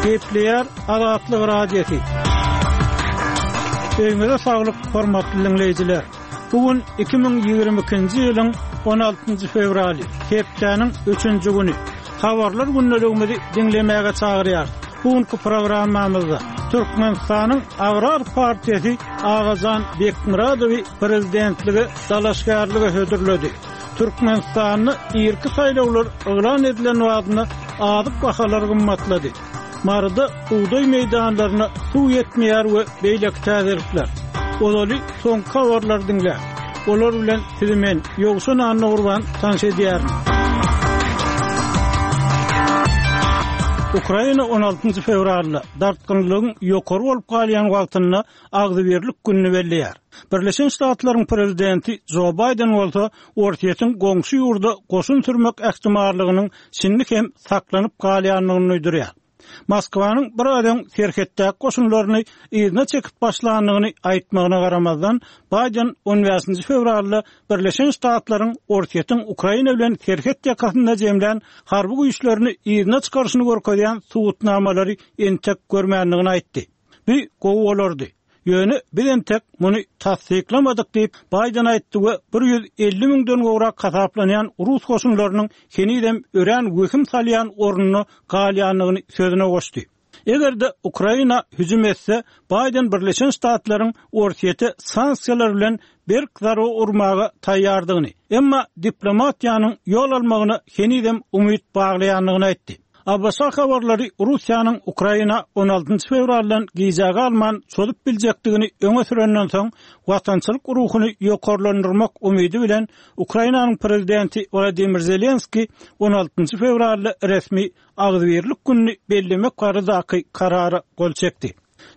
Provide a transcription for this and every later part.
Gepleýär Azatlyk Radiosy. Öýüňize saglyk, hormatly diňleýjiler! Bu gün 2022-nji ýylyň 16-njy fewraly, hepdäniň üçünji güni. Habarlar gündeligimizi diňlemäge çagyrýarys. Bu günki programmamyzda Türkmenistanyň Agrar partiýasy Agajan Bekmyradowy prezidentlige dalaşgärlige hödürledi. Türkmenistanda irki saýlawlar yglan edilen badyna azyk bahalary gymmatlady. Maryda bugdaý meýdanlaryna suw ýetmeýär we beýleki täzelikler. Ozaly soňky habarlary diňläň. Olar bilen sizi men, Ýowşan Annagurban tanyş edýärin. Ukraina on altynjy fewralda, dartgynlygyň ýokary bolup galýan wagtynda Agzybirlik gününi belleýär. Birleşen Ştatlaryň prezidenti Jo Baýden bolsa Orsýetiň goňşy ýurda goşun sürmek ähtimallygynyň şindi hem saklanyp galýandygyny duýdurýar. Moskwanyň biraz öň serhetdäki goşunlaryny yzyna çekip başlandygyny aýtmagyna garamazdan, Baýden on bäşinji fewralda Birleşen Ştatlaryň Orsýetiň Ukraina bilen serhet ýakasynda jemlän harby güýçlerini yzyna çykaryşyny görkezýän subutnamalary entek görmändigini aýtdy. Bu gowy bolardy. Ýöne biz entek muny tassyklamadyk diýip, Baýden aýtdy we 150 müňden gowrak hasaplanýan rus goşunlarynyň henizem örän wehim salýan ornunda galýandygyny sözüne goşdy. Eger-de Ukraina hüjüm etse, Baýden Birleşen Ştatlaryň Orsýete sanksiýalar bilen berk zarba urmaga taýýardygyny, emma diplomatiýanyň ýol almagyna henizem umyt baglaýandygyny aýtdy. ABŞ habarlary Russiýanyň Ukraina on altynjy fewraldan gijä galman çozup biljekdigini öňe sürenden soň, watançylyk ruhuny ýokarlandyrmak umydy bilen Ukrainanyň prezidenti Wladimir Zelenskiý on altynjy fewralda resmi Agzybirlik gününi bellemek baradaky karara gol çekdi.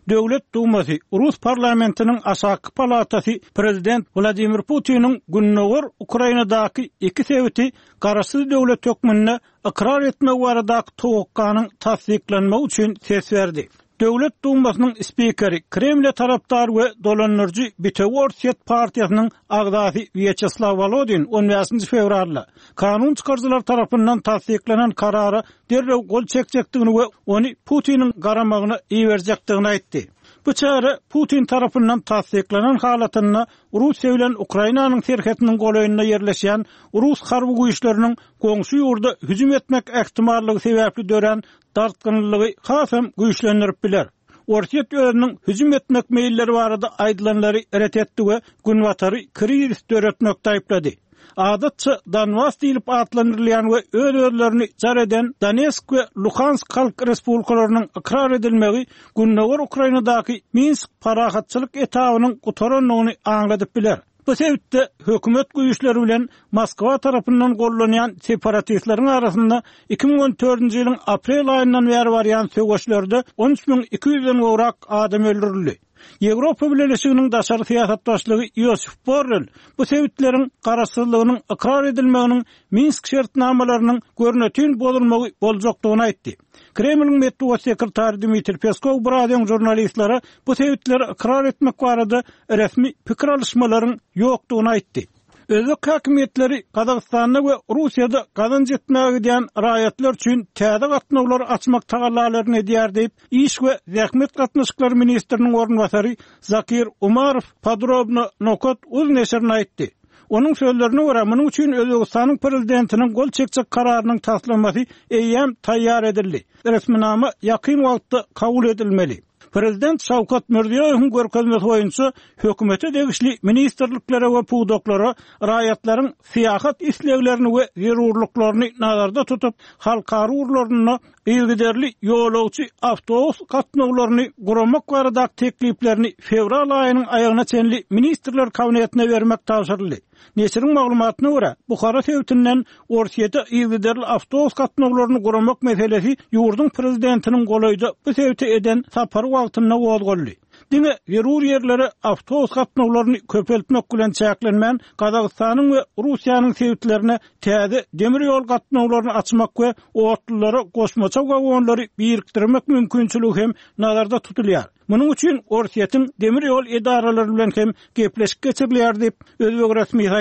Döwlet Dumasy, rus parlamentiniň aşaky palatasy prezident Wladimir Putiniň gündogar Ukrainadaky iki sebiti garaşsyz döwlet hökmünde ykrar etmegi baradaky towakganyň tassyklanmagy üçin ses berdi. Döwlet Dumasynyň spikeri, Kremle tarapdar we dolandyryjy Bitewi Orsýet partiýasynyň agzasy Wýaçeslaw Wolodin on bäşinji fewralda kanun çykaryjylar tarapyndan tassyklanan karara derrew gol çekjekdigini we ony Putiniň garamagyna iberjekdigini aýtdy. Bu çäre Putin tarapyndan tassyklanan halatynda Russiýa bilen Ukrainanyň serhetiniň golaýynda ýerleşýän rus harby güýçleriniň goňşy ýurda hüjüm etmek ähtimallygy sebäpli dörän dartgynlylygy hasam güýçlendirip biler. Orsýet özüniň hüjüm etmek meýilleri barada aýdylanlary ret etdi we Günbatary krizis döretmekde aýyplady. Adatça Donbas diýlip atlandyrylýan we öz-özlerini jar eden Donetsk we Luhansk halk respublikalarynyň ykrar edilmegi gündogar Ukrainadaky Minsk parahatçylyk etabynyň gutarandygyny aňladyp biler. Bu sebitde hökümet güýçleri bilen Moskwa tarapyndan gollanýan separatistleriň arasynda 2014-nji ýylyň aprel aýyndan bäri barýan söweşlerde 13 200-den gowrak adam öldürildi. Ýewropa Bileleşiginiň daşary syýasat başlygy Ýosef Borrel bu sebitleriň garaşsyzlygynyň ykrar edilmeginiň Minsk şertnamalarynyň görnetin bozulmagy boljakdygyny aýtdy. Kremliň metbugat sekretary Dmitriý Peskow biraz öň žurnalistlere bu sebitleri ykrar etmek barada resmi pikir alyşmalaryň ýokdugyny aýtdy. Özbek häkimiýetleri Gazagystanda we Russiýada gazanç etmäge gidýän raýatlar üçin täze gatnawlary açmak tagallalaryny edýär diýip, Iş we zähmet gatnaşyklary ministriniň orunbasary Zakir Umarow Podrobno nokat uz neşirine aýtdy. Onuň sözlerine görä, munuň üçin Özbegistanyň Prezidentiniň gol çekjek kararynyň taslamasy eýýäm taýýar edildi. Resminama ýakyn wagtda kabul edilmeli. Prezident Şawkat Mirziýoýewiň görkezmesi boýunça hökümete degişli ministrliklere we pudaklara raýatlaryň syýahat isleglerini we zerurlyklaryny nazarda tutup, halkara ugurlarynda yzygiderli ýolagçy awtobus gatnawlaryny guramak baradaky tekliplerini fewral aýynyň aýagyna çenli Ministrler Kabinetine bermek tabşyryldy. Neşiriň maglumatyna görä, Buhara sebitinden Orsýete yzygiderli awtobus gatnawlaryny guramak meselesi ýurduň prezidentiniň golaýda bu sebite eden sapary wagtynda gozgaldy. Diňe zerur ýerlere awtobus gatnawlaryny köpeltmek bilen çäklenmän, Gazagystanyň we Russiýanyň sebitlerine täze demir ýol gatnawlaryny açmak we otlulara goşmaça wagonlary birikdirmek mümkinçiligi hem nazarda tutulýar. Munuň üçin Orsýetiň demir ýol edaralary bilen hem gepleşik geçirilýär diýip, özbek resmisi aýtdy.